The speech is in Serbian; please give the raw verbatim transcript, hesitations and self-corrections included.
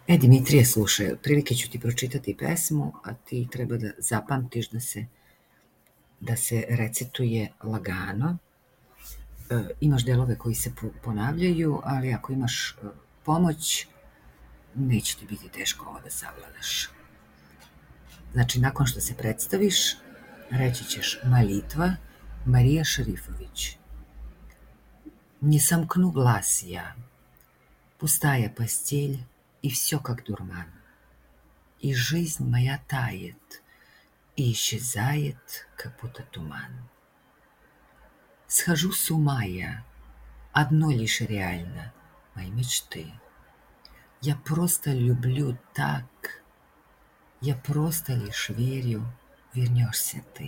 E, Dimitrije, slušaj, otprilike ću ti pročitati pesmu, a ti treba da zapamtiš da se, da se recituje lagano. E, imaš delove koji se ponavljaju, ali ako imaš e, pomoć, neće ti biti teško ovo da savladaš. Znači, nakon što se predstaviš, reći ćeš молитва Мария Шарифович. Не сомкну глаз я, пустая постель, и все как дурман. И жизнь моя тает, и исчезает, как будто туман. Схожу с ума я, одно лишь реально, мои мечты. Я просто люблю так, я просто лишь верю, вернешься ты.